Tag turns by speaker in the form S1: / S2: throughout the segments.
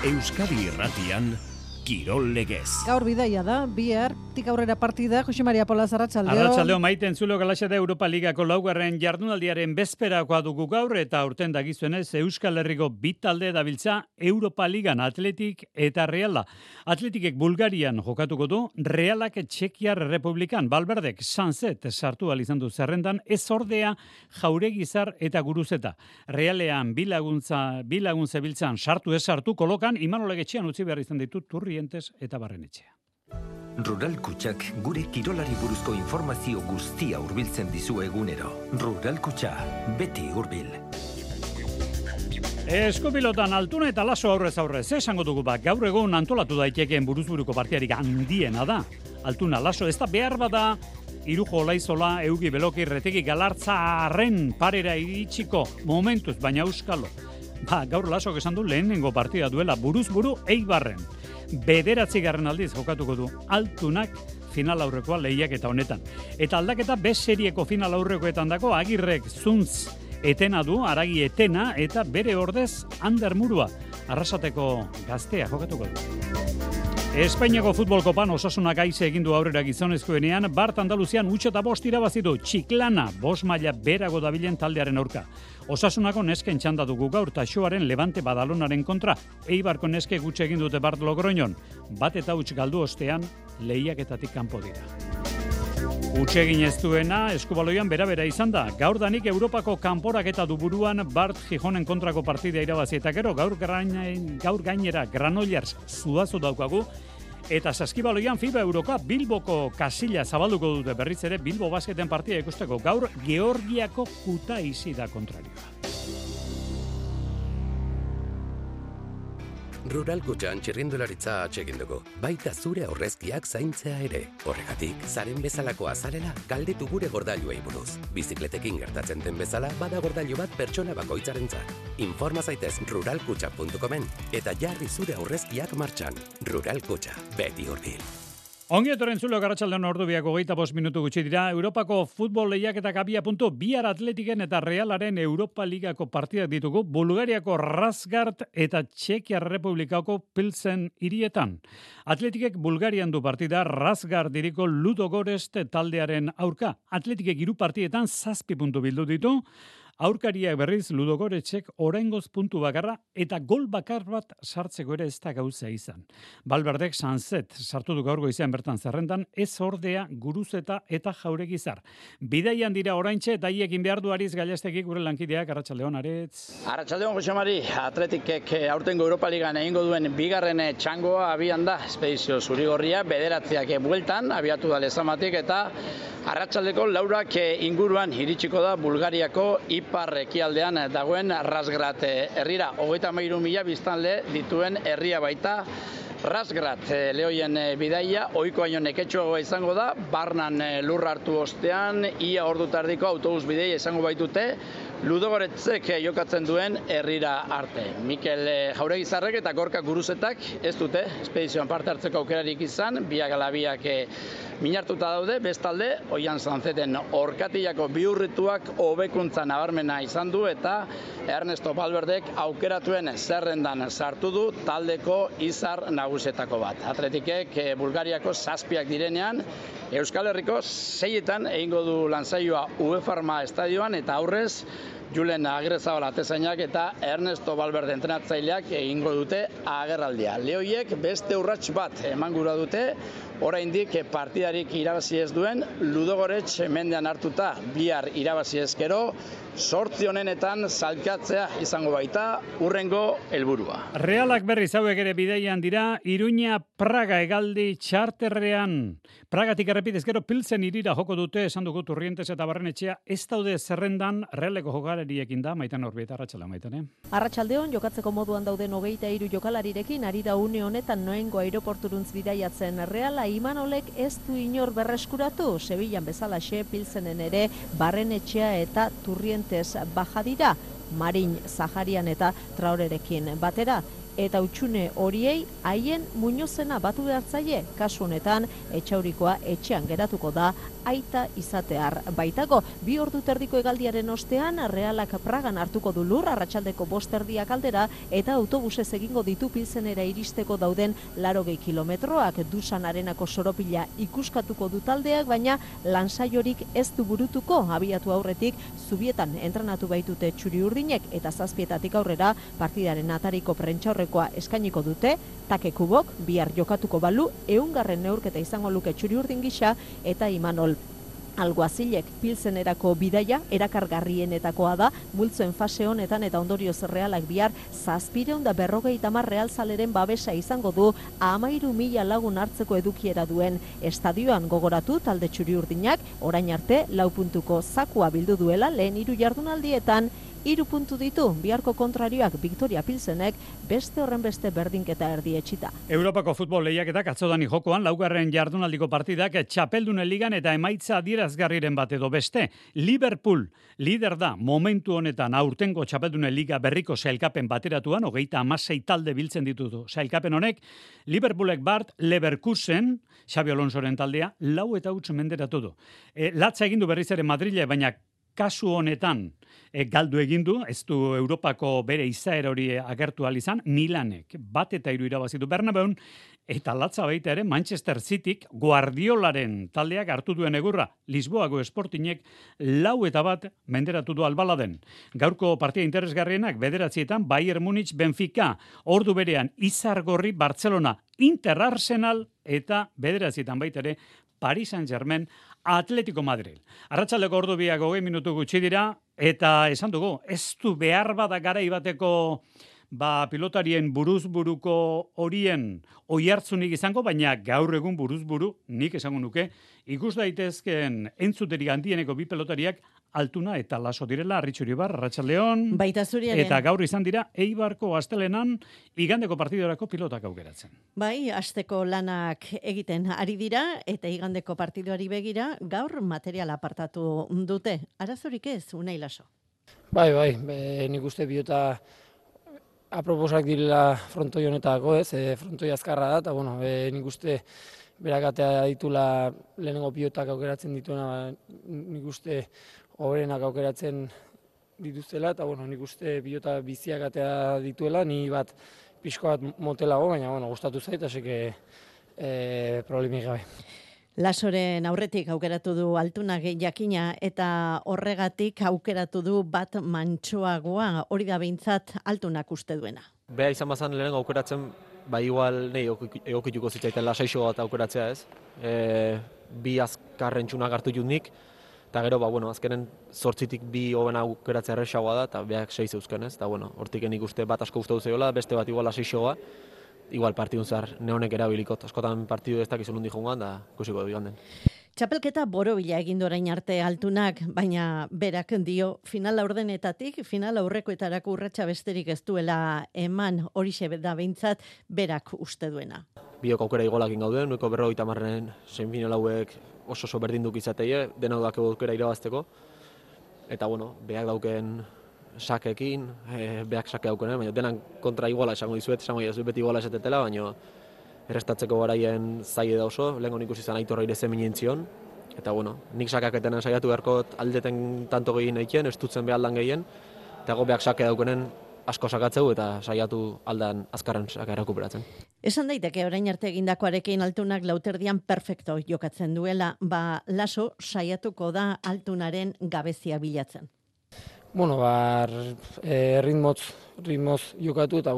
S1: Euskadi Irratian, Kirol Legez.
S2: Gaur bidaia da, bihar, aurrera partida, Jose Maria Polaz, arratsaldeo.
S3: Arratsaldeo maite entzulo galaxa da Europa Ligako laugarren jardunaldiaren bezperakoa dugu gaur, eta aurten dagizuenez Euskal Herriko bi talde dabiltza Europa Ligan, Atletik eta Reala. Atletikek Bulgarian jokatuko du, Realak Txekiar Republikan, Balberdek Sanzet sartu izan du zerrendan, ez ordea Jauregizar eta Guruzeta. Realean bilagun zebiltzan sartu ez sartu kolokan, Imanolek etxean utzi behar izan ditu Turrientes eta Barrenetxea.
S4: Rural Kutxak gure kirolari buruzko informazio guztia hurbiltzen dizu egunero. Rural Kutxa, beti hurbil.
S3: Eskupilotan Altuna eta Laso aurrez esango dugu gaur egun antolatu daitekeen buruzburuko partiarik handiena da. Altuna Laso ez da behar bada Irujo Olaizola, Eugi Beloki, Retegi Galartza arren parera iritsiko momentuz, baina euskalo. Gaur Lasok esan du lehenengo partida duela buruzburu Eibarren. 9. aldiz jokatuko du Altunak final aurrekoa lehiak eta honetan. Eta aldaketa B serieko final aurrekoetan dago Agirrek Zuntz etena du, Aragi etena eta bere ordez Ander Murua. Arrasateko gaztea jokatuko du. Espainiako futbol kopan Osasunak aize egin du aurrera gizonezkoenean, Bart Andaluzian 8-5 irabazi du Txiklana 5 maila berago dabilen taldearen aurka. Osasunako nesken txanda dugu gaur Taxoaren Levante Badalonaren kontra. Eibarko neske gutxe egin dute Bart Logroñon. 1-0 galdu ostean lehiaketatik kanpo dira. Utsegin ez duena eskubaloian bera izan da. Gaur danik Europako kanporaketa du buruan Bart Gijonen kontrako partida irabazi eta gero gaur gainera Granollers Zuazo daukagu. Eta saskibaloian FIBA Eurocup Bilboko kasilla zabalduko dute berriz ere Bilbo basketen partida ikusteko. Gaur Georgiako Kutaisi da kontrarioa.
S5: Rural Kutxan txirrindularitza atsegin dugu, baita zure aurrezkiak zaintzea ere. Horregatik, zaren bezalako azarela galdetu gure gordailuei buruz. Bizikletekin gertatzen den bezala, bada gordailu bat pertsona bakoitzarentzat. Informa zaitez ruralkutxa.comen eta jarri zure aurrezkiak martxan. Rural Kutxa, beti hurbil.
S3: Ongi etorren zulo garratsaldean ordubiak 25 minutu gutxi dira. Europako futbol lehiaketak abia puntu, bihar Atletiken eta Realaren Europa Ligako partidak ditugu, Bulgariako Razgrad eta Txekiar Republikako Pilsen hirietan. Atletikek Bulgarian du partida, Razgrad diriko Ludogorets taldearen aurka. Atletikek 3 partietan 7 puntu bildu ditu. Aurkariak berriz Ludogoretsek oraingoz puntu bakarra eta gol bakar bat sartzeko ere ez da gauza izan. Balberdek Sanzet sartu du gaur goizean bertan zerrendan, ez ordea Guruzeta eta Jauregizar. Bidaian dira oraintxe eta hiekin behar du Ariz Gallastegik gure lankideak. Arratsaldeon Aritz.
S6: Arratsaldeon Jose Mari, Atletikek aurtengo Europa Ligan egingo duen bigarren txangoa abian da. Espedizio zurigorria 9 bueltan abiatu da Lezamatik eta arratsaldeko 4 inguruan iritsiko da Bulgariako ipar ekialdean dagoen Razgrad herrira. 33.000 biztanle dituen herria baita. Razgrad lehoien bidaia, ohiko baino neketsuagoa izango da, barnan lurra hartu ostean, ia ordu tardiko autobus bideia izango baitute, Ludogoretzek jokatzen duen herrira arte. Mikel Jauregizarrek eta Gorka Guruzetak ez dute espedizioan parte hartzeko aukerarik izan, biak ala biak minartuta daude, bestalde, Oian Sanzeten orkatillako bihurrituak hobekuntza nabarmena izan du eta Ernesto Valverdek aukeratuen zerrendan sartu du taldeko izar nagusetako bat. Atletikek Bulgariako 7 direnean, Euskal Herriko 6etan egingo du lansaioa UEFA estadioan eta aurrez Julen Agirrezabala atezainak eta Ernesto Valverde entrenatzaileak egingo dute agerraldia. Lehoiek beste urrats bat emangura dute, oraindik partidarik irabazi ez duen Ludogorets mendean hartuta bihar irabazi ezkero, 8 honenetan zalkatzea izango baita urrengo helburua.
S3: Realak berriz hauek ere bideian dira, Iruña Praga hegaldi txarterrean. Pragatik errepidez gero Pilsen hirira joko dute, esan dugu Turrientes eta Barrenetxea, ez daude zerrendan Realeko jokalariekin da, Maitan Orbieta, arratsaldeon Maitan.
S7: Arratsaldeon jokatzeko moduan dauden 23 jokalarirekin ari da une honetan Noengo aireporturuntz bidaiatzen Reala. Imanolek ez du inor berreskuratu, Sevillan bezalaxe Pilsenen ere Barrenetxea eta Turrientes baja dira, Marin, Zaharian eta Traorerekin batera. eta utxune horiei haien muñozena batu behartzaile. Kasu honetan, Etxaurikoa etxean geratuko da aita izatear baitago. 2 ordu terdiko hegaldiaren ostean, Realak Pragan hartuko du lur, arratsaldeko 5:30 aldera, eta autobusez egingo ditu Pilsenera iristeko dauden 80 kilometroak. Dusan Arenako soropila ikuskatuko du taldeak, baina lansaiorik ez du burutuko. Abiatu aurretik, Zubietan entrenatu baitute txuri-urdinek, eta 7:00 aurrera partidaren atariko prentsaurrekoa eskainiko dute. Take Kubok bihar jokatuko balu 100. neurketa izango luke txuri-urdin gisa, eta Imanol Alguazilek Pilsenerako bidaia erakargarrienetakoa da, multzoen fase honetan, eta ondorioz Realak bihar 750 realzaleren babesa izango du 13.000 lagun hartzeko edukiera duen estadioan. Gogoratu talde txuri-urdinak orain arte 4 puntuko zakua bildu duela lehen 3 jardunaldietan, 3 puntu ditu. Biharko kontrarioak Victoria Pilsenek beste horrenbeste berdinketa erdietsita.
S3: Europako futbol lehiaketak atzodani jokoan, 4. jardunaldiko partidak Txapeldunen ligan eta emaitza adierazgarriren bat edo beste. Liverpool lider da momentu honetan aurtengo Txapeldunen liga berriko sailkapen bateratuan, 36 talde biltzen ditutu sailkapen honek. Liverpoolek bart Leverkusen, Xabi Alonsoren taldea, 4-0 menderatu du. Latza egin du berriz ere Madrile, baina kasu honetan galdu egin du, ez du Europako bere izaera hori agertu ahal izan. Milanek 1-3 irabazi du Bernabeun, eta latza baita ere Manchester Cityk Guardiolaren taldeak hartu duen egurra. Lisboako Sportingek 4-1 menderatu du Albaladen. Gaurko partida interesgarrienak 9:00 Bayern Munich Benfica, ordu berean Izargorri Barcelona, Inter Arsenal, eta 9:00 baita ere Paris Saint-Germain Atletico Madrid. Arratsaldeko ordu 20 minutu gutxi dira, eta esan dugu, ez du behar bada garai bateko pilotarien buruzburuko horien oihartzunik izango, baina gaur egun buruzburu, nik esango nuke, ikus daitezkeen entzuterik handieneko 2 pelotariak Altuna eta Laso direla. Arritxuri Bar, Arratsaldeon.
S2: Baita zuriaren.
S3: Eta gaur izan dira Eibarko astelenan igandeko partidorako pilotak aukeratzen.
S2: Bai, asteko lanak egiten ari dira, eta igandeko partidoari begira, gaur material apartatu dute. Arazorik ez, Unai Laso?
S8: Bai, nik uste pilota aproposak direla frontoi honetako, ez? Frontoi azkarra da, eta bueno, nik uste berakatea ditula lehenengo pilotak aukeratzen dituena, nik uste hoberenak aukeratzen dituztela, eta bueno, nik uste pilota biziak atea dituela, ni bat pixko bat motelago, baina bueno, gustatu zait, aseke problemik gabe.
S2: Lasoren aurretik aukeratu du Altunak jakina, eta horregatik aukeratu du bat mantsoagoa, hori da behintzat Altunak uste duena.
S9: Beha izan bazan lehenengo aukeratzen, igual nahi egokituko zitzaiten lasaixo bat aukeratzea, ez? 2 azkarren txunak hartu jutnik, eta gero, azkenen 8tik 2 hoben aukeratzea erresagoa da, eta behak 6 eusken, ez? Eta hortik nik uste bat asko gustatu zegoela, beste bat igual lasaixoa, igual partidun zehar neonek erabilikot. Askotan partidu ez dakizun hundi joan da, ikusiko du iganden.
S2: Txapelketa borobila egin orain arte Altunak, baina berak dio final aurdenetatik, final aurrekoetarako urratsa besterik ez duela eman, horixe da behintzat berak uste duena.
S9: Biok aukera igolakin gauden, nueko 50 semifinal hauek oso berdinduk izateie, denau dake aukera irabazteko. Eta behak dauken sakekin, behak sake daukenen, baina denan kontra iguala esango dizuet, esango dizuet beti iguala esatetela, baina errestatzeko garaien zaile da oso, lehenko nik izan Aitorra ire zeminentzion, eta nik sakaketenen saiatu beharko aldeten tanto gehien egiten, ez dutzen behaldan gehien, eta behak sake daukenen asko sakatzeu eta saiatu aldan azkarren saka erakuperatzen.
S2: Esan daiteke orain arte egindakoarekin Altunak lauterdian perfecto jokatzen duela, Laso saiatuko da Altunaren gabezia bilatzen.
S8: Ritmoz jokatu eta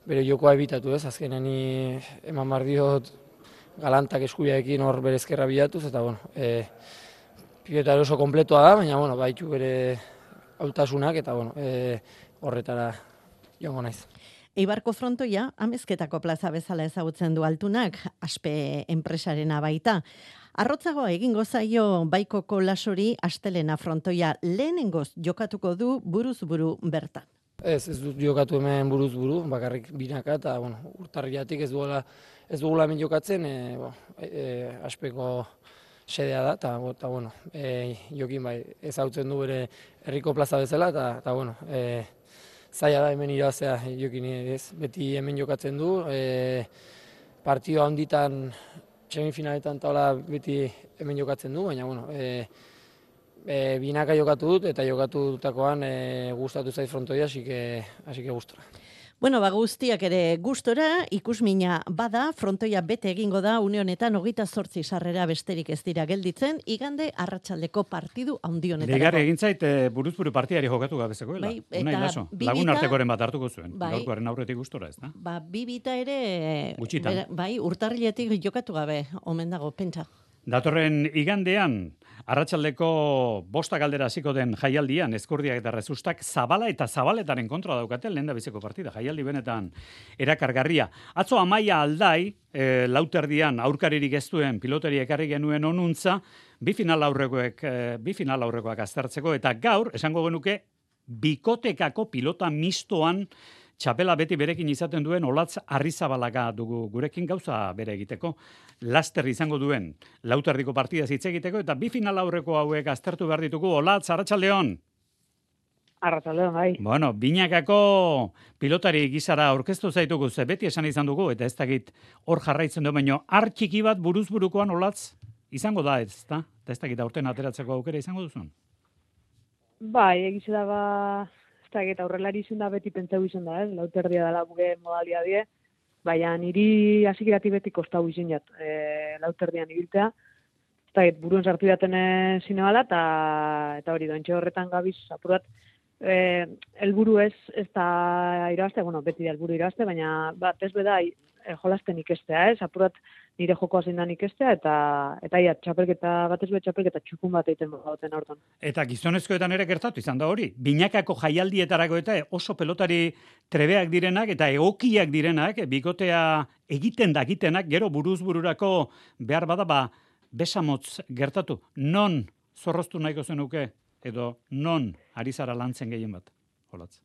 S8: bere jokoa ebitatu, ez? Azkenean eman behar diot galantak eskubiaekin hor bere ezkerra bilatuz, eta pilota oso kompletoa da, baina baitu bere hautasunak, eta horretara joango naiz.
S2: Eibarko frontoia amezketako plaza bezala ezagutzen du Altunak, Aspe enpresarena baita. Arrotzagoa egingo zaio Baikoko Lasori astelena frontoia lehenengoz jokatuko du buruz-buru bertan.
S8: Ez dut jokatu hemen buruz-buru, bakarrik binaka, eta urtarriatik ez dugula hemen jokatzen, Aspeko sedea da, eta jokin ezagutzen du bere herriko plaza bezala, eta zaila da hemen irabazea jokin ez. Beti hemen jokatzen du, partioa handitan, semifinaletan taula beti hemen jokatzen du, baina bueno, binaka jokatu dut eta jokatu dutakoan gustatu zait frontoia, así que gustora.
S2: Bueno, guztiak ere gustora, ikusmina bada, frontoia bete egingo da, une honetan 28 sarrera besterik ez dira gelditzen, igande arratsaldeko partidu handi honetarako.
S3: Deigarri egin zait buruz-buru partiari jokatu gabezekoela.
S2: Bai,
S3: Unai Laso, lagun artekoren bat hartuko zuen. Gaurkoaren aurretik gustora, ez da?
S2: Bibita ere,
S3: gutxitan.
S2: Urtarriletik jokatu gabe, omen dago, pentsa.
S3: Datorren igandean, arratsaldeko 5 galdera hasiko den jaialdian, Ezkurdiak eta Rezustak Zabala eta Zabaletaren kontra daukate lehendabiziko partida. Jaialdi benetan erakargarria. Atzo Amaia Aldai, lauterdian aurkaririk ez duen pilotari ekarri genuen onuntza, bi final aurrekoak aztertzeko, eta gaur, esango genuke, bikotekako pilota mistoan txapela beti berekin izaten duen Olatz Arrizabalaga dugu gurekin gauza bere egiteko. Laster izango duen lauterdiko partida hitz egiteko eta bi final aurreko hauek aztertu behar ditugu. Olatz, arratsaldeon.
S10: Arratsaldeon, bai.
S3: Bueno, binakako pilotari gizara aurkeztu zaitugu, ze beti esan izan dugu, eta ez dakit hor jarraitzen du, baino txiki bat buruz-burukoan Olatz izango da, ez da? Eta ez dakit aurten ateratzeko aukera izango duzun?
S10: Bai, egize da ba... eta aurrelari izan da beti pentsau izan da, lauterdia dela gure modalia die, baina niri hasikirati beti kostau izan jat, lauterdian ibiltea, eta buruen sartu daten zine bala, eta hori doentxe horretan gabiz, apurat, helburu ez da irabazte, bueno, beti da helburu irabazte, baina bat ez beda jolasten ikestea, apurat nire jokoa zein dan ikestea, eta ia, txapelketa, bat ez beda txapelketa txukun bat egiten bauten aurton.
S3: Eta gizonezkoetan ere gertatu izan da hori. Binakako jaialdietarako eta oso pelotari trebeak direnak eta egokiak direnak, bikotea egiten dakitenak, gero buruz-bururako behar bada besamotz gertatu. Non zorroztu nahiko zenuke, edo non ari zara lantzen gehien bat, Olatz?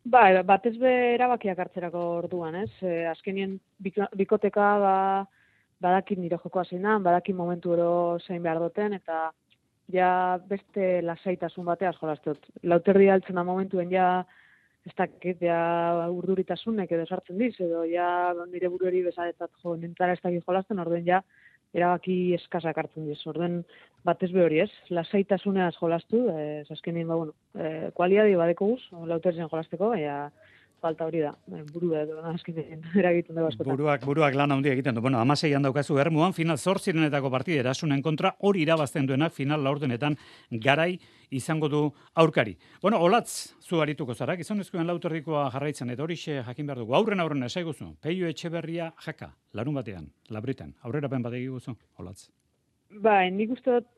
S10: Ba, batez be erabakiak hartzerako orduan, ez? Azkenien bikoteka badakin nire jokoa zeinan, badakin momentu ero zein behar duten, eta ja beste lasaitasun bateaz jolaztot. Lauterdi altzen da momentuen ja ez dakit, ja urduritasunek edo sartzen diz, edo ja nire burueri bezadetat jo, nintara ez dakit jolazten, orduen ja erabaki eskasak hartzen diz. Orduen batez be hori ez, lasaitasuneaz jolaztu, azkenien ba, bueno, kualiadi badeko guz, lauterzen jolazteko, falta hori da, burua edo azkenean eragiten dugu askotan.
S3: Buruak lan handia egiten du. Bueno, 16an daukazu Ermuan, final 8 partida Erasunen kontra, hori irabazten duenak final laurdenetan garai izango du aurkari. Bueno, Olatz, zu arituko zara, gizonezkoen lauterdikoa jarraitzen, eta horixe jakin behar dugu. Aurren esaiguzu, Peio Etxeberria jaka, larun batean, Labritan. Aurrerapen bat egiguzu, Olatz.
S10: Bai, nik uste dut,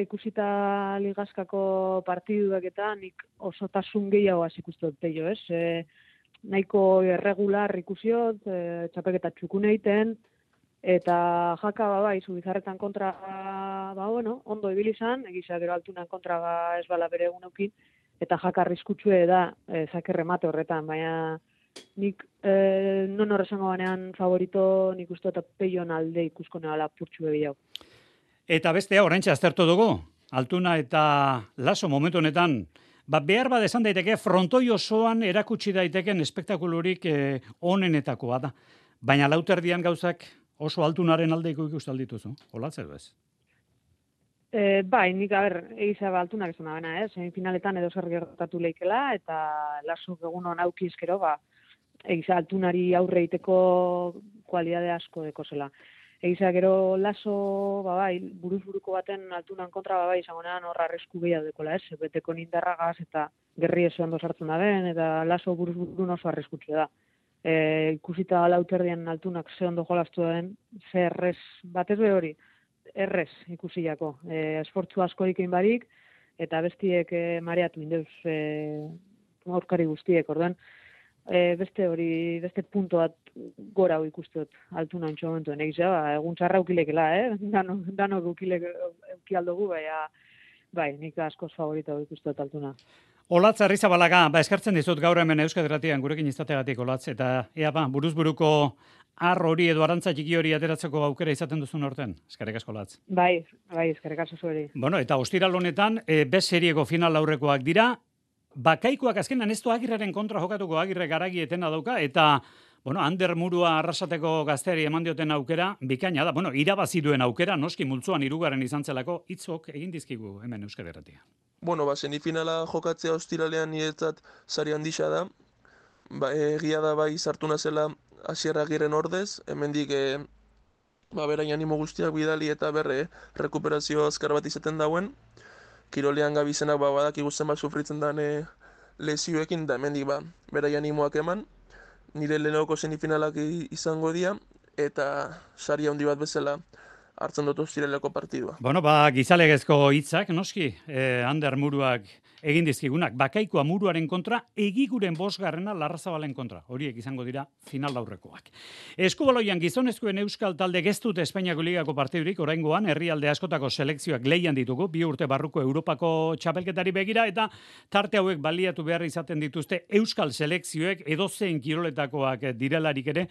S10: ikusita ligazkako partiduak eta nik osotasun gehiago hasi ikuste dut Peio, ez? Nahiko irregular ikusiot, txapelketa txukun egiten, eta jaka bai, Zubizarretan kontra, bueno, ondo ibili izan, egiza gero altunan kontra ez bala bere egun eukin, eta jaka arriskutsue da zakerremate horretan, baina nik non horrezango banean favorito nik uste eta Peion alde ikusko nehala purtsu gehiago.
S3: Eta bestea, oraintxe aztertu dugu, Altuna eta Laso momentu honetan, behar bat esan daiteke, frontoi osoan erakutsi daiteken espektakulurik onenetakoa da. Baina lauterdian gauzak oso Altunaren aldeiko ikusten dituzu. Olatz edo ez?
S10: Bai, nik egiza Altunak esan da bena, semifinaletan edo zer gertatu leikela, eta Laso egun hon aukizkero, egiza Altunari aurre egiteko kualidade asko deko zela. Egiza gero Laso, bai, buruz-buruko baten Altunan kontra, bai, izangonean horra arrisku gehiago dekola, ez? Beteko nindarragaz eta gerri ez ondo sartzen da ben, eta Laso buruz-burun oso arriskutsu da. Ikusita lauterdian Altunak ze ondo jolastu den, ze errez, batez be hori, errez ikusiako. Esfortzu asko egin barik, eta bestiek mareatu indeuz aurkari guztiek, orduan, beste punto bat gora ikustot Altuna ontsu momentuen. Egizea, egun txarra ukilekela, danok ukialdugu, bai, nik askoz favorito ikustot Altuna.
S3: Olatz Arrizabalaga, eskartzen dizut gaur hemen Euskadi Irratian gurekin izategatik, Olatz, eta buruz-buruko ar hori edo arantza txiki hori ateratzeko aukera izaten duzun horten. Eskerrik asko, Olatz.
S10: Bai, eskerrik asko zueri.
S3: Bueno, eta ostiral honetan, B serieko final aurrekoak dira, Bakaikoak azkenan ez du Agirreren kontra jokatuko, Agirre garagi etena dauka, eta Ander Murua arrasateko gazteari eman dioten aukera, bikaina da. Irabazi duen aukera, noski multzoan 3. izan zelako, hitzok egin dizkigu hemen Euskal Herratia.
S11: Semifinala jokatzea ostiralean niretzat sari handisa da. Egia da bai sartu nazela Asier Agirren ordez, hemendik berain animo guztiak bidali eta rekuperazio azkar bat izaten dauen. Kirolean gabizenak badakigu zenbat sufritzen den lesioekin, da hemendik berain animoak eman. Nire lehenoko semifinalak izango dira, eta sari handi bat bezala hartzen dut ostiraleko partidua.
S3: Gizalegezko hitzak, noski, Ander Muruak egin dizkigunak, Bakaikoa Muruaren kontra, Egiguren 5. Larrazabalen kontra. Horiek izango dira final aurrekoak. Eskubaloian gizonezkoen euskal talde geztut Espainiako ligako partidurik, oraingoan herrialde askotako selekzioak lehian ditugu, 2 urte barruko Europako txapelketari begira, eta tarte hauek baliatu behar izaten dituzte euskal selekzioek edozein kiroletakoak direlarik ere,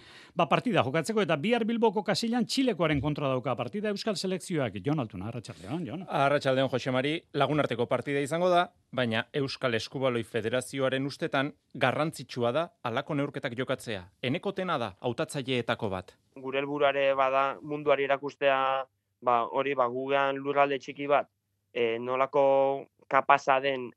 S3: partida jokatzeko, eta bihar Bilboko Kasilan Txilekoaren kontra dauka partida euskal selekzioak. Jon Altuna, arratsaldeon, Jon.
S12: Arratsaldeon, Jose Mari, lagunarteko partida izango da, baina Euskal Eskubaloi Federazioaren ustetan garrantzitsua da halako neurketak jokatzea. Enekotena da hautatzaileetako bat.
S13: Gure helburuare bada munduari erakustea, gugean lurralde txiki bat, nolako kapasa den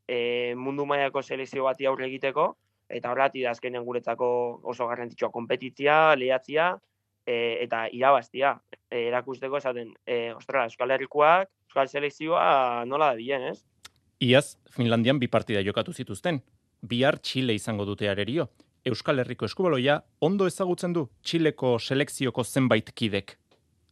S13: mundu mailako selekzio bati aurre egiteko, eta horregatik da azkenean guretzako oso garrantzitsua konpetitzia, lehiatzia eta irabaztia. Erakusteko esaten, Euskal Herrikoak, Euskal Selekzioa nola da bilen, ez?
S12: Iaz, Finlandian 2 partida jokatu zituzten. Bihar Txile izango dute arerio. Euskal Herriko eskubaloia ondo ezagutzen du Txileko selekzioko zenbait kidek.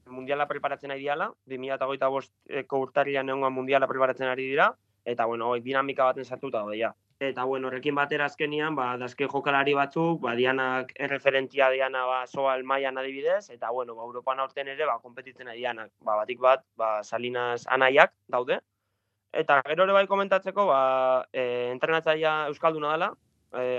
S13: Mundiala preparatzen ari diala, 2025ko urtarrian egongo mundiala preparatzen ari dira, eta dinamika baten sartuta daude ja. Eta horrekin batera azkenian, dazke jokalari batzuk, dianak erreferentia diana Soal mailan adibidez, eta Europan aurten ere konpetitzen ari dianak. Batik bat, Salinas anaiak daude. Eta gero ere bai komentatzeko, entrenatzailea euskalduna dela,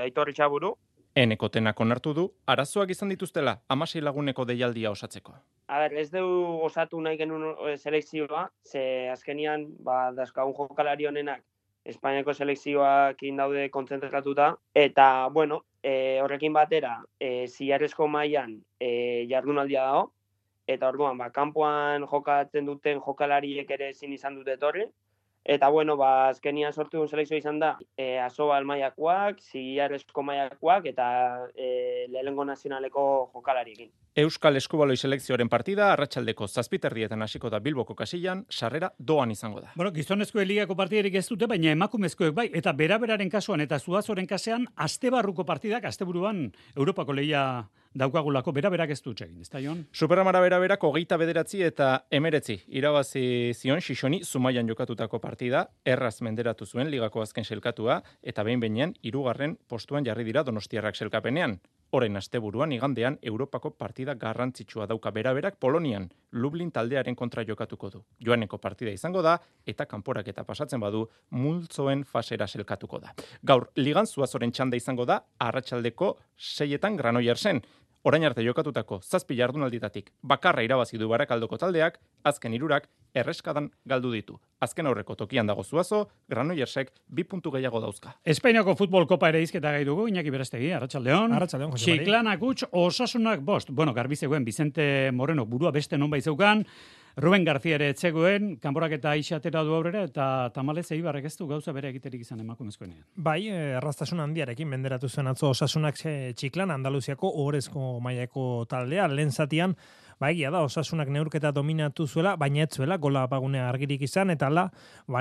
S13: Aitor Itxaburu.
S12: Enekotenak onartu du, arazoak izan dituztela 16 laguneko deialdia osatzeko.
S13: Ez dugu osatu nahi genuen selekzioa, ze azkenian, dazkagun jokalari honenak Espainiako selekzioakin daude kontzentratuta, eta, horrekin batera, zilarrezko mailan jardunaldia dago, eta orduan, kanpoan jokatzen duten jokalariek ere ezin izan dute etorri, eta, azkenian sortu duen selekzioa izan da, Asobal mailakoak, zilarrezko mailakoak, eta lehenengo nazionaleko jokalariekin.
S12: Euskal Eskubaloi selekzioaren partida arratsaldeko 7:00 hasiko da Bilboko Kasilan, sarrera doan izango da.
S3: Gizonezkoen ligako partidarik ez dute, baina emakumezkoek bai, eta beraberaren kasuan eta Zuazoren kasean astebarruko partidak asteburuan Europako lehia daukagulako beraberak ez dut egin, ezta Jon?
S12: Superamara beraberak 29 eta 19 irabazi zion Xixoni Zumaian jokatutako partida, erraz menderatu zuen ligako azken selkatua, eta behin-behinean 3. postuan jarri dira Donostiarrak selkapenean. Orain asteburuan igandean Europako partida garrantzitsua dauka beraberak Polonian, Lublin taldearen kontra jokatuko du. Joaneko partida izango da, eta kanporaketa pasatzen badu, multzoen fasera selkatuko da. Gaur, ligan Zuazoren txanda izango da, arratsaldeko 6:00 Granoillersen. Orain arte jokatutako 7 jardunalditatik bakarra irabazi du Barakaldoko taldeak, azken 3 erreskadan galdu ditu. Azken aurreko tokian dago Zuazo, Granoillersek 2 puntu gehiago dauzka.
S3: Espainiako futbol kopa ere izketa gai dugu, Iñaki Berastegi, arratsaldeon.
S14: Arratsaldeon, Jose Mari.
S3: Txiklanak huts, Osasunak 5. Garbi zegoen Vicente Moreno burua beste nonbait zeukan, Ruben García ere etzegoen, kanporaketa ixatera du aurrera, eta tamalez Eibarrek ez du gauza bere egiterik izan emakumezkoenean.
S14: Bai, erraztasun handiarekin menderatu zuen atzo Osasunak Txiklan, Andaluziako ohorezko mailako taldea, lehen zatian, egia da, Osasunak neurketa dominatu zuela, baina ez zuela, gola apagunea argirik izan, eta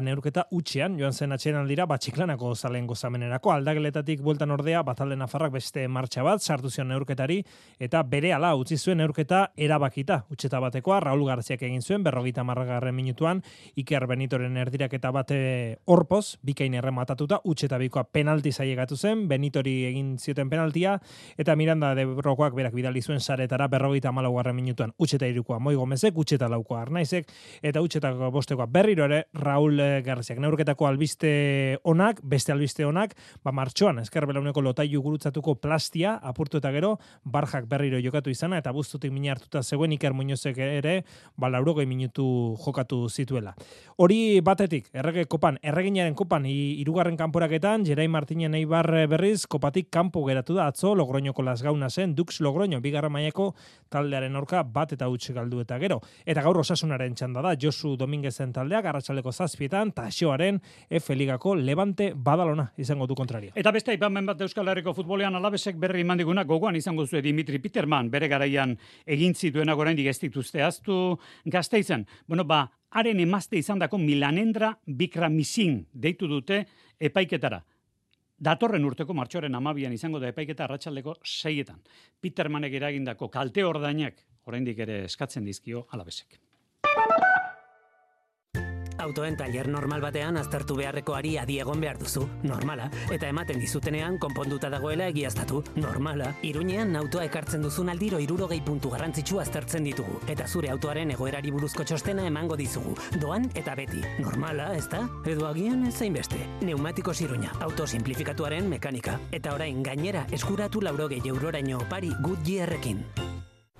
S14: neurketa utxean, joan zen atxeranaldira, Txiklanako zalen gozamenerako, aldageletatik bueltan ordea, talde nafarrak beste martxa bat, sartu zion neurketari, eta berehala utzi zuen neurketa erabakita, utxeta batekoa, Raul Garziak egin zuen, 50. minutuan, Iker Benitoren erdiraketa bate horpoz, bikain errematatuta, utxeta bikoa penalti zailegatu zen, Benitori egin zioten penaltia, eta Miranda de Brokoak berak bidali zuen saretara 54. minutuan postuan utxeta irukoa Moi Gomezek, utxeta laukoa Arnaizek, eta utxetako bostekoa berriro ere Raul Garziak. Neurketako albiste onak, beste albiste onak, martxoan Ezker Belauneko lotailu gurutzatuko Plastia apurtu eta gero Barjak berriro jokatu izana eta buztutik mina hartuta zegoen Iker Muñozek ere 80 minutu jokatu zituela. Hori batetik, erreginaren kopan hirugarren kanporaketan Jerai Martinen Eibar berriz kopatik kanpo geratu da atzo Logroñoko Lasgauna zen Dux Logroño bigarren mailako taldearen aurka 1-0 galdu eta gero. Eta gaur Osasunaren txanda da Josu Dominguezen taldeak arratsaldeko 7 Taxoaren F Ligako Levante Badalona izango du kontraria.
S3: Eta beste aipamen bat Euskal Herriko futbolean Alavesek berri emandiguna gogoan izango zuen Dimitri Peterman bere garaian egin zituenak oraindik ez dituzte ahaztu Gasteizen. Haren emazte izandako Milanendra Bikramisin deitu dute epaiketara. Datorren urteko martxoaren 12an izango da epaiketa arratsaldeko 6. Petermanek eragindako kalte ordainak oraindik ere eskatzen dizkio Alavesek.
S15: Autoen tailer normal batean aztertu beharrekoari adi egon behar duzu, normala, eta ematen dizutenean konponduta dagoela egiaztatu, normala. Iruñean autoa ekartzen duzun aldiro 60 puntu garrantzitsu aztertzen ditugu, eta zure autoaren egoerari buruzko txostena emango dizugu, doan eta beti, normala, ezta? Edo agian ez zainbeste. Neumatikos Iruña, auto simplifikatuaren mekanika, eta orain gainera eskuratu 80 euroraino opari Goodyearrekin.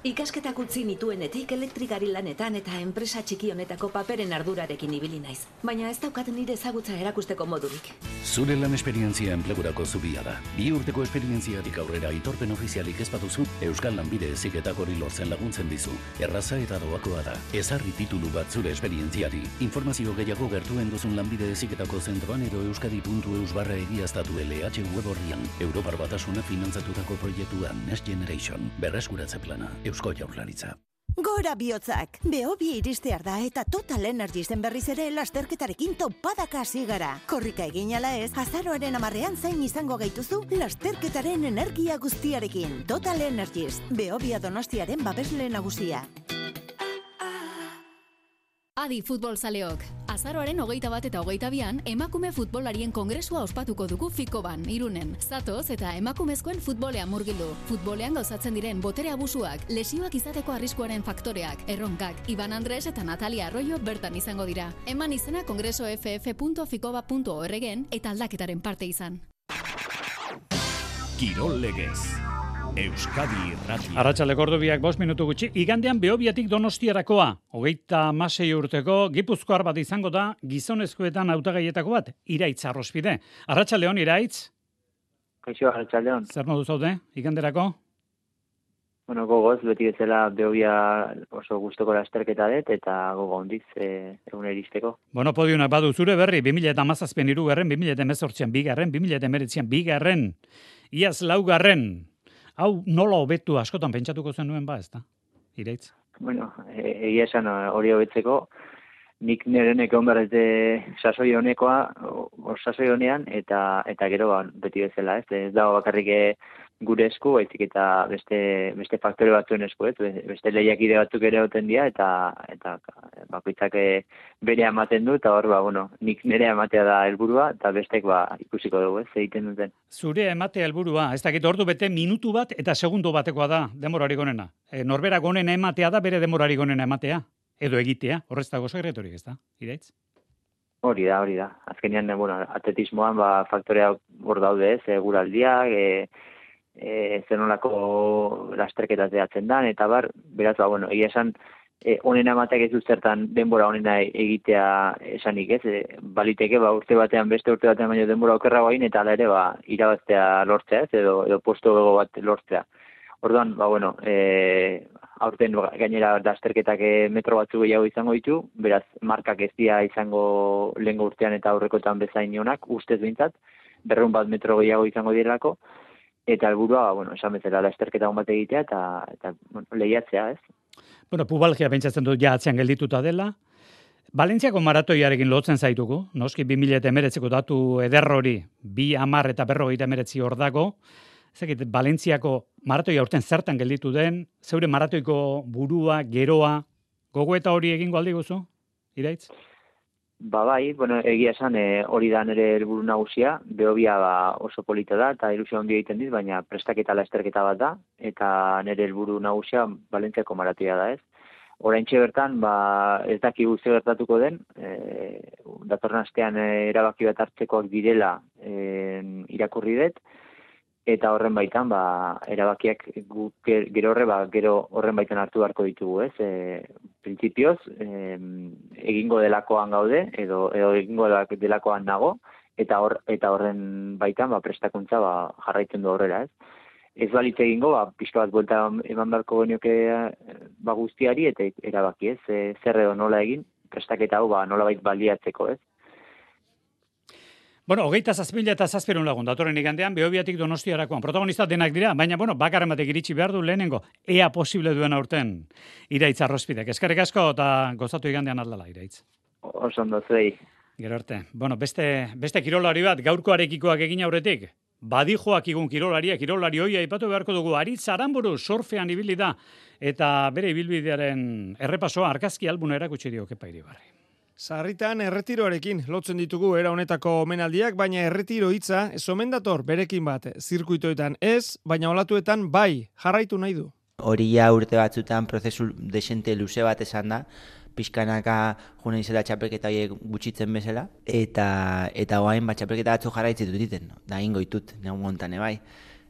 S16: Ikasketak utzi nituenetik elektrikari lanetan eta enpresa txiki honetako paperen ardurarekin ibili naiz. Baina ez daukat nire ezagutza erakusteko modurik.
S1: Zure lan esperientzia enplegurako zubia da. 2 urteko esperientziatik aurrera aitorpen ofizialik ez baduzu, Euskal Lanbide Heziketak hori lortzen laguntzen dizu. Erraza eta doakoa da. Ezarri titulu bat zure esperientziari. Informazio gehiago gertuen duzun Lanbide Heziketako zentroan edo euskadi.eus/egiaztatu LH web orrian. Europar Batasuna finantzatutako proiektua Next Generation. Berreskuratze plana. Eusko Jaurlaritza.
S17: Gora bihotzak! Behobia iristear da eta Total Energiesen berriz ere lasterketarekin topadaka hasi gara. Korrika egin ala ez, azaroaren 10ean zain izango gaituzu lasterketaren energia guztiarekin. Total Energies, Behobia Donostiaren babesle nagusia.
S18: Adi futbol zaleok. Azaroaren 21 eta 22an emakume futbolarien kongresua ospatuko dugu Fikoban, Irunen. Zatoz eta emakumezkoen futbolean murgildu. Futbolean gauzatzen diren botere abusuak, lesioak izateko arriskuaren faktoreak, erronkak, Iban Andres eta Natalia Arroyo bertan izango dira. Eman izena kongresoff.fikoba.org-en eta aldaketaren parte izan.
S1: Kirol Legez. Euskadi Irratia.
S3: Arratsaldeko ordu 5 minutu gutxi. Igandean Behobiatik Donostiarakoa. 36 urteko Gipuzkoar bat izango da gizonezkoetan hautagaietako bat. Iraitz Arrospide. Arratsaldeon Iraitz.
S19: Kaixo, arratsaldeon.
S3: Zer modu zaude iganderako?
S19: Gogoz, beti bezala Behobia oso gustoko lasterketa dut eta gogo hondiz egun iristeko.
S3: Podiunak badu zure berri 2017an 3. 2018an 2. 2019an 2. Iaz 4. Hau nola hobetu askotan pentsatuko zenuen ezta? Iraitz?
S19: Egia esan hori hobetzeko, nik nirenek egon behar sasoi honekoa, sasoi honean, eta gero beti bezala, ez dago bakarrik gure esku, baizik eta beste faktore batzuen esku, beste lehiakide batzuk ere oten dira, eta bakoitzak bere ematen du, eta hor, nik nire ematea da helburua, eta bestek ikusiko dugu, egiten duten.
S3: Zure ematea helburua, ez dakit ordu bete minutu bat eta segundo batekoa da denborarik onena. Norberak onena ematea da bere denborarik onena ematea, edo egitea, horrez dago sekreturik, ez da, Iraitz?
S19: Hori da. Azkenean, atletismoan faktorea hor daude, eguraldiak, zenolako lasterketa zehatzen dan, eta beraz, egia esan, onena emateak ez dut zertan denbora onena egitea esanik, ez? Baliteke, urte batean, beste urte batean baino denbora okerra guain, eta ala ere, irabaztea lortzea, ez? Edo posto bat lortzea. Orduan, aurten gainera lasterketak metro batzu gehiago izango ditu, beraz, markak ez dira izango lehengo urtean eta aurrekotan bezain onak, ustez behintzat, 200 bat metro gehiago izango direlako, eta helburua, esan bezala lasterketa hon bat egitea eta lehiatzea, ez?
S3: Pubalgia pentsatzen dut atzean geldituta dela. Valentziako maratoiarekin lotzen zaitugu, noski 2019ko datu eder hori, 2:10 eta 59 hor dago. Ezakit, Valentziako maratoia urten zertan gelditu den, zeure maratoiko burua, geroa, gogoeta hori egingo aldi guzu, Iraitz?
S19: Bai, bueno, egia esan hori da nire helburu nagusia, Behobia oso polita da, eta ilusio handia egiten dit, baina prestaketa lasterketa bat da, eta nire helburu nagusia Valentziako maratoia da, ez? Oraintxe bertan, ez daki guzti gertatuko den, datorren astean erabaki bat hartzekoak direla irakurri dut, eta horren baitan, erabakiak gero horren baitan hartu beharko ditugu, ez? Printzipioz, egingo delakoan gaude, edo egingo delakoan nago, eta horren baitan, prestakuntza jarraitzen du horrela, ez? Ez balitz egingo, pixka bat buelta eman beharko genioke guztiari, eta erabaki, ez? Zer edo nola egin, prestaketa hau nolabait baliatzeko, ez?
S3: Bueno, 27.000 lagun datorren igandean Behobiatik Donostiarakoan. Protagonista denak dira, baina bakarren batek iritsi behar du lehenengo. Ea posible duen aurten Iraitz Arrospidek. Eskerrik asko eta gozatu igandean aldala, Iraitz.
S19: Oso ondo zuei.
S3: Gero arte. Bueno, beste kirolari bat, gaurkoarekikoak egin aurretik. Badijoak igun kirolari hoia aipatu beharko dugu. Aritz Aramburu surfean ibili da eta bere ibilbidearen errepasoa argazki albuna erakutsi dio Kepa Iribarri.
S20: Sarritan erretiroarekin lotzen ditugu era honetako omenaldiak, baina erretiro hitza ez omen dator berekin bat. Zirkuitoetan ez, baina olatuetan bai, jarraitu nahi du.
S21: Hori ja urte batzutan prozesu desente luze bat esan da, pixkanaka juna izela txapelketa horiek gutxitzen bezala, eta oain txapelketa batzu jarraitzen duten, da ingo ditut, negun gontan bai.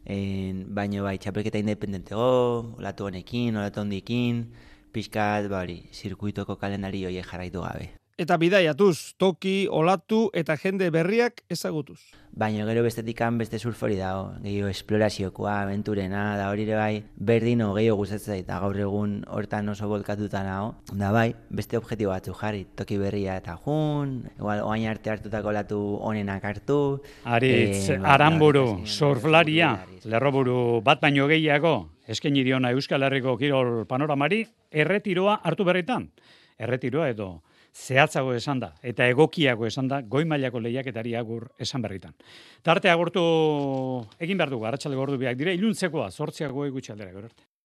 S21: Baina bai, txapelketa independentego, olatu honekin, olatu hondikin, pixkat, zirkuitoko kalendari horiek jarraitu gabe.
S20: Eta bidaiatuz, toki, olatu eta jende berriak ezagutuz.
S21: Baina gero bestetikan beste surfori dago, gehiago esploraziokoa, aventurena, da hori ere bai, berdino gehiago gustatzen eta gaur egun hortan oso bolkatuta nago. Da bai, beste objektibo batzu jarri, toki berria eta igual oain arte hartutako olatu onenak hartu.
S3: Aritz Aramburu, surflaria, lerroburu bat baino gehiago, eskaini diona Euskal Herriko kirol panoramari, erretiroa hartu berritan. Erretiroa edo zehatzago esan da, eta egokiago esan da, goi mailako lehiaketari agur esan berritan. Tarte agurtu egin behar dugu, arratsaldeko ordu biak dire, iluntzekoa, 8 gutxi aldera, gero arte.